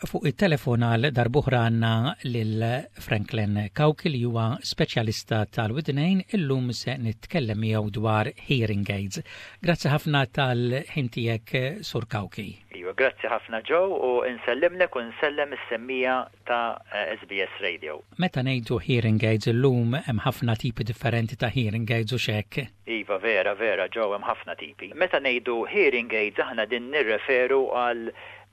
Fuq it-telefon għal darb'oħra għandna lil Franklin Cauchi li huwa speċjalista tal-widnejn illum se nitkellem miegħu dwar hearing aids. Grazzi ħafna tal-ħin tiegħek Sur Cauchi. Iva, grazzi ħafna Joe u nsellimlek u nsellem is-semmiegħa ta' SBS Radio. Meta ngħidu hearing aids illum hemm ħafna tipi differenti ta' hearing aids u xek. Iva, vera, vera, Joe, hemm ħafna tipi. Meta ngħidu hearing aids aħna din nirreferu għal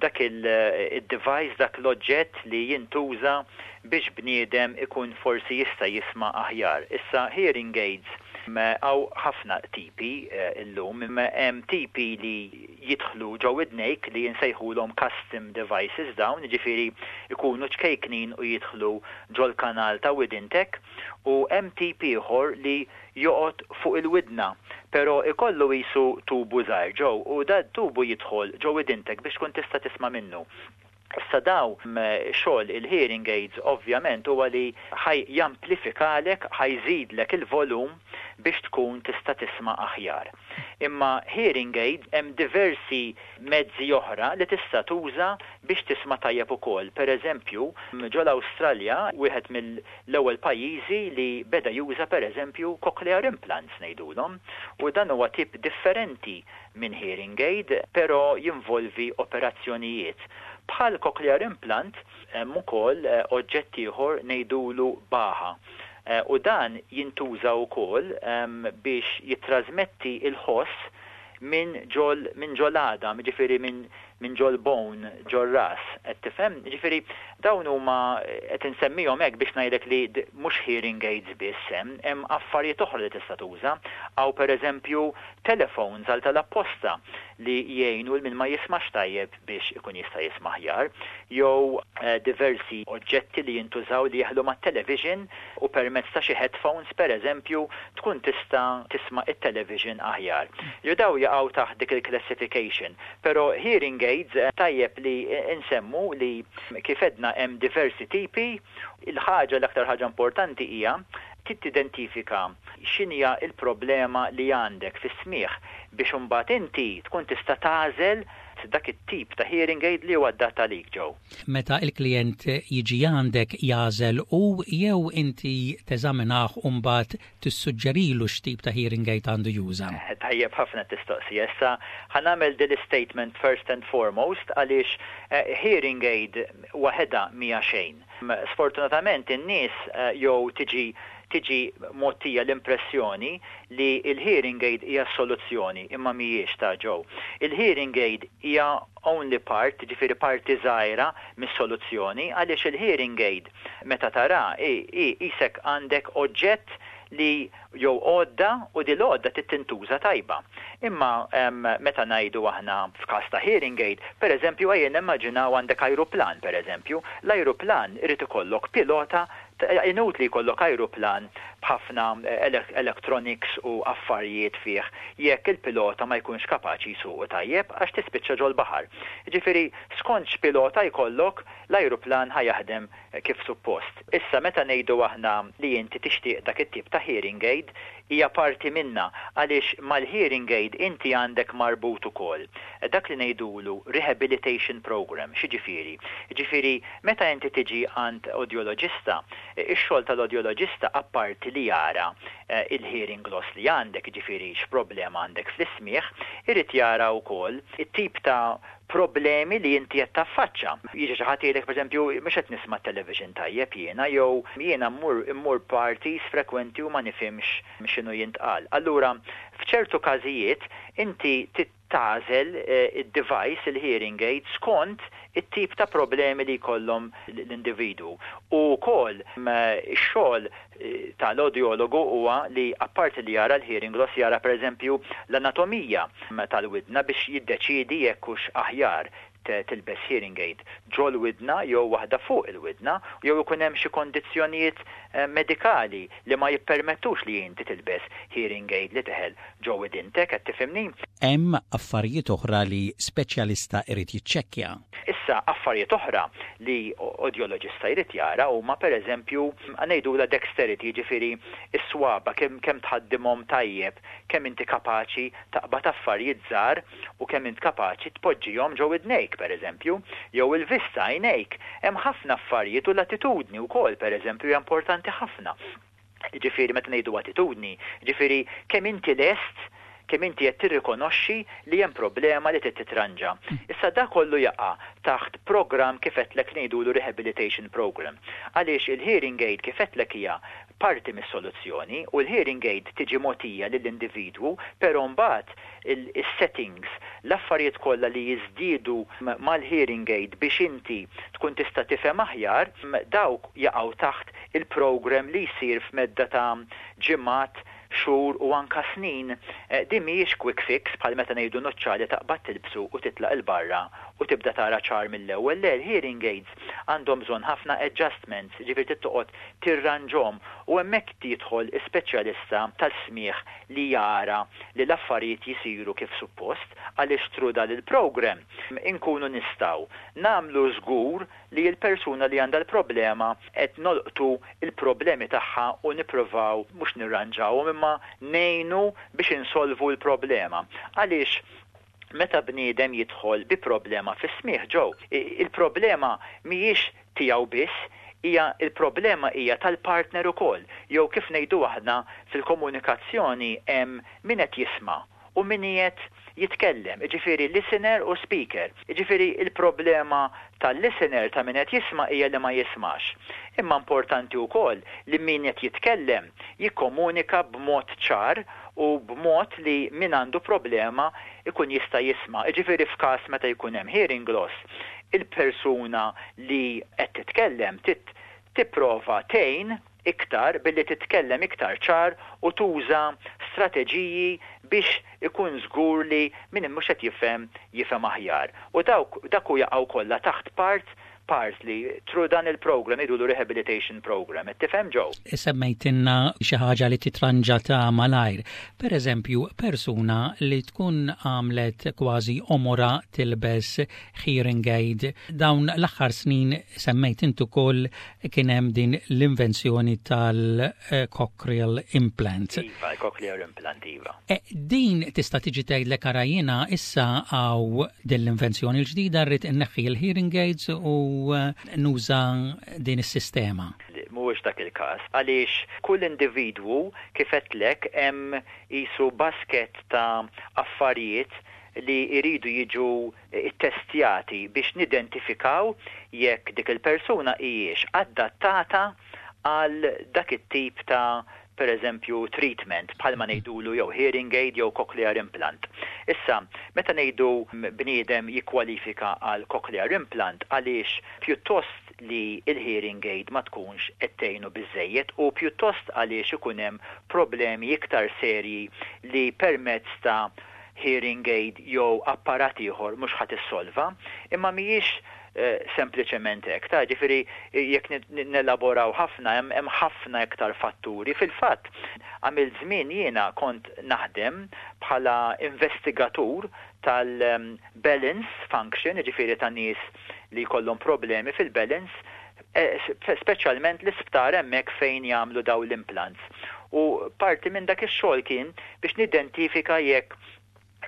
dak il-device, dak l-oġġett li jintuża biex bniedem ikun forsi jista' jisma' aħjar. Issa hearing aids hawn ħafna tipi illum, hemm tipi li jidħlu ġo widnejk li jinsejħulhom custom devices dawn, jiġifieri ikunu ċkejknin u jidħlu ġol-kanal ta' widintek, u hemm tip ieħor li joqgħod fuq il-widna, però ikollu qisu tubu żgħir ġew u da tubu jidħol ġo widintek biex tkun tista' tisma' minnu. Issa daw xogħol il-hearing aids ovvjament huwa li ħa jamplifikalek, ħa jżidlek il-volum biex tkun tista' tisma' aħjar. Imma hearing aids hemm diversi mezzi oħra li tista' tuża biex tisma' tajjeb ukoll. Per eżempju, ġol-Awstralja wieħed mill-ewwel pajjiżi li beda juża per eżempju cochlear implants ngħidulhom u dan huwa tip differenti minn hearing aid, però jinvolvi operazzjonijiet. Bħal cochlear implant hemm ukoll oġġett ieħor ngħidulu Baha. U dan jintuża wkoll biex jittrasmetti il-ħoss minn ġol minn ġol-għadam, jiġifieri minn ġol bone, ġor-ras, qed tifhem? Jiġifieri dawn huma qed insemmihom hekk biex ngħidlek li mhux hearing aids biss hemm, hemm affarijiet oħra li tista' tuża. Hawn pereżempju telephones għal tal-apposta li jgħinu 'l min ma jismax tajjeb biex ikun jista' jisma' aħjar, jew diversi oġġetti li jintużaw li jeħlu mat-television u permezz ta' xi headphones pereżempju tkun tista' tisma' it-television aħjar. Jew daw jaqgħu taħt dik il-classification. Però hearing aids tajjeb li nsemmu li kif għedna hemm diversi tipi. Il-ħaġa l-aktar ħaġa importanti hija trid tidentifika x'inhija l-problema li għandek fis-smigħ biex imbagħad inti tkun tista' tagħżel dak it-tip ta' hearing aid li huwa adatt għalik Joe. Meta il-klient jiġi għandek jagħżel u jew inti teżaminah u mbagħad tissuġġerilu x'tip ta' hearing aid għandu juża? Tajjeb ħafna tistoqsija. Issa ħa nagħmel din statement first and foremost għaliex hearing aid waħedha mhija xejn. Sfortunatament in-nies jew tiġi mogħtija l-impressjoni li il-hearing aid hija soluzzjoni imma mhijiex ta' Joe. Il-hearing aid hija only part, ġifieri parti żgħira mis-soluzzjoni għaliex il-hearing aid meta tara qisek għandek oġġett li jew għodda u di l-għodda tintuża tajba. Imma meta ngħidu aħna f'każ ta' hearing aid, per eżempju ejja nimmaġinaw għandek ajruplan per eżempju, l-ajruplan irid ikollok pilota inutli jkollok ajruplan b'ħafna electronics u affarijiet fih jekk il-pilota ma jkunx kapaċi jsuqu tajjeb għax tispiċċa ġol-baħar. Ġifieri skont x'pilota jkollok l-ajruplan ħa jaħdem kif suppost. Issa meta ngħidu aħna li inti tixtieq dak it-tip ta' hearing aid hija parti minna għaliex mal-hearing aid inti għandek marbut ukoll dak li ngħidulu rehabilitation program, x'jiġifieri? Ġifieri meta inti tiġi għand audiologista, ix-xogħol tal-audiologista apparti li jara il-hearing loss li għandek, ġifieri x'problema għandek fl-ismieħ, irid jara wkoll it-tip ta' problemi li inti qed taffaċċa. Jiġi xi ħadd jgħidlek pereżempju mhux qed nisma' television tajjeb jiena jew jiena mmur parties frekwenti u ma nifhimx x'inhu jintqal. Allura f'ċertu każijiet inti tagħżel id-device, il-hearing aid, skont it-tip ta' problemi li jkollhom l-individu. U wkoll ix-xogħol tal-audiologu huwa li apparti li jara l-hearing loss jara pereżempju l-anatomija tal-widna biex jiddeċidi jekk hux aħjar tilbes hearing aid ġol widna jew waħda fuq il-widna jew ikun hemm xi kondizzjonijiet medikali li ma jippermettux li inti tilbes hearing aid li teħel ġo widintek, qed tifhimni? Hemm affarijiet oħra li speċjalista irid jiċċekkja. Issa affarijiet oħra li audiologista jrid jara huma, pereżempju, ngħidulha dexterity, jiġifieri s-swaba kemm tħaddimhom tajjeb, kemm inti kapaċi taqbad affarijiet żgħar u kemm int kapaċi tpoġġihom ġo widnejk, pereżempju, jew il-vista, għajnejk. Hemm ħafna affarijiet u l-attitudni wkoll, pereżempju, hija importanti ħafna. Jiġifieri meta ngħidu attitudni, jiġifieri kemm inti lest, kemm inti qed tirrikonoxxi li hemm problema li trid titranġa. Issa dak kollu jaqa' taħt programm, kif għedtlek, ngħidulu rehabilitation program. Għaliex il-hearing aid, kif għedtlek, hija parti mis-soluzzjoni u l-hearing aid tiġi mogħtija lill-individwu, però mbagħad is-settings, l-affarijiet kollha li jiżdiedu mal-hearing aid biex inti tkun tista' tifhem aħjar, dawk jaqgħu taħt il-program li jsir f'medda ta' ġimgħat, xhur u anka snin. Din mhijiex quick fix bħal meta ngħidu nuċċali taqbad tilbsu u titlaq 'il barra u tibda tara ċar mill-ewwel. Le, l-hearing aids għandhom bżonn ħafna adjustments, ġifieri trid toqgħod tirranġhom u hemmhekk jidħol is-speċjalista tas-smigħ li jara li l-affarijiet jisiru kif suppost, għaliex through dan il-program inkunu nistgħu nagħmlu żgur li l-persuna li għandha l-problema qed nolqtu l-problemi tagħha u nippruvaw mhux nirranġawhom imma ngħinu biex insolvu l-problema. Għaliex meta bniedem jidħol bi problema fis-smigħ, Joe, il-problema mhijiex tiegħu biss, hija il-problema hija tal-partner ukoll, jew kif ngħidu aħna fil-komunikazzjoni hemm min qed jisma' u min qiegħed jitkellem, jiġifieri listener u speaker. Jiġifieri il-problema tal-listener, ta' min qed jisma', hija li ma jismax. Imma importanti wkoll li min qed jitkellem jikkomunika b'mod ċar u b'mod li min għandu problema ikun jista' jisma'. Jiġifieri f'każ meta jkun hemm hearing loss, il-persuna li qed titkellem tipprova tgħin iktar billi titkellem iktar ċar u tuża strateġiji biex ikun żgur li min mhux qed jifhem jifhem aħjar. U dawk dak u jaqgħu kollha taħt partly through dan il-program, jgħidulu rehabilitation program. Qed tifhem, Joe? Semmejtilna xi ħaġa li titranġa ta' malajr. Per eżempju, persuna li tkun għamlet kważi għomorha tilbes hearing aid. Dawn l-aħħar snin, semmejt intu ukoll, kien hemm din l-invenzjoni tal-cochlear implant. Iva, cochlear implant, iva. E, din tista' tiġi tgħidlek, "Ara, jiena issa hawn din l-invenzjoni l-ġdida, rrid inneħħi l-hearing aids u nuża din is-sistema"? Mhuwiex dak il-każ. Għaliex kull individwu, kif għedtlek, hemm qisu basket ta' affarijiet li jridu jiġu ttestjati biex nidentifikaw jekk dik il-persuna hijiex adattata għal dak it-tip ta', per eżempju, treatment, bħalma ngħidulu jew hearing aid jew cochlear implant. Issa, meta ngħidu bniedem jikkwalifika għal cochlear implant, għaliex pjuttost li il-hearing aid ma tkunx qed tgħinu biżejjed u pjuttost għaliex ikun hemm problemi iktar serji li permezz ta' hearing aid jew apparat ieħor mhux ħa tissolva, imma mhijiex sempliċement hekk. Ta' ġifieri jekk nelaboraw ħafna, hemm ħafna iktar fatturi. Fil-fatt, għamilt żmien jiena kont naħdem bħala investigatur tal-balance function, ġifieri ta' nies li jkollhom problemi fil-balance, speċjalment l-isptar hemmhekk fejn jagħmlu daw l-implants. U parti minn dak ix-xogħol kien biex nidentifika jekk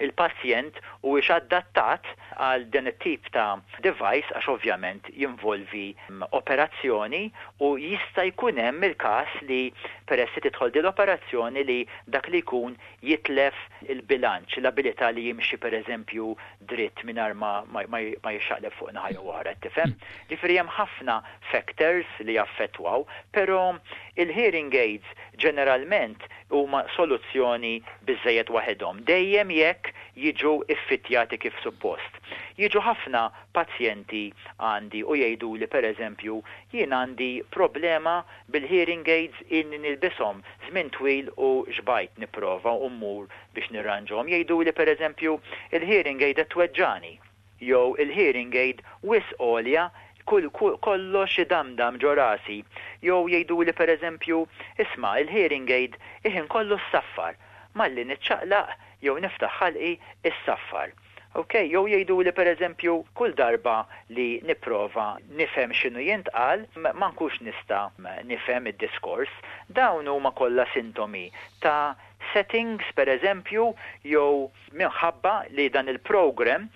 il-pazjent huwiex adattat għal din it-tip ta' device, għax ovvjament jinvolvi operazzjoni u jista' jkun hemm il-każ li peress li tidħol din l-operazzjoni li dak li jkun jitlef il-bilanċ, l-abilità li jimxi, per eżempju, dritt mingħajr ma jixxaqleb fuq naħa jew oħra, tifhem? Ġifieri hemm ħafna factors li jaffettwaw, però il-hearing aids ġeneralment huma soluzzjoni biżejjed waħedhom, dejjem jekk jiġu iffittjati kif suppost. Jiġu ħafna pazjenti għandi u jgħidu li, per eżempju, "Jien għandi problema bil-hearing aids, inni nilbishom żmien twil u xbajt nipprova u mmur biex nirranġhom." Jgħidu li, per eżempju, "Il-hearing aid qed tweġġani" jew "Il-hearing aid wisq għolja, kull kollox idamdam ġo rasi", jew jgħidu li, per eżempju, "Isma', il-hearing aid iħin kollu ssaffar, malli niċċaqlaq." jew niftaħ ħalqi issaffar. Ok, jew jgħiduli pereżempju kull darba li nipprova nifhem x'inhu jintqal ma nkunx nista' nifhem id-diskors. Dawn huma kollha sintomi ta' settings pereżempju jew minħabba li dan il-program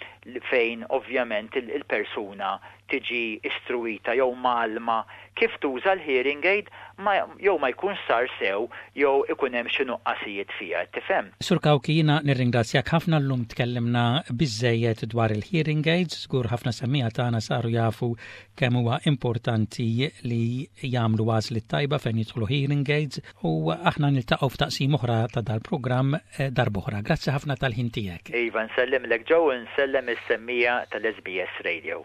fejn ovvjament il-persuna tiġi istruwita jew mgħallma kif tuża l-hearing aid ma jew ma jkunx sar sew jew ikun hemm xi nuqqasijiet fiha, qed tifhem? Sur Cauchi jiena nirringrazzjak ħafna llum tkellimna biżżejjed dwar il-hearing aids, żgur ħafna semmiegħa tagħna saru jafu kemm huwa importanti li jagħmlu għażliet tajba fejn jidħlu hearing aids u aħna niltaqgħu f'taqsim oħra ta' dal-programm eh, darb'oħra. Grazzi ħafna tal-ħin tiegħek. Iva, nsellimlek Joe u nsellem is-semmiegħa tal-SBS Radio.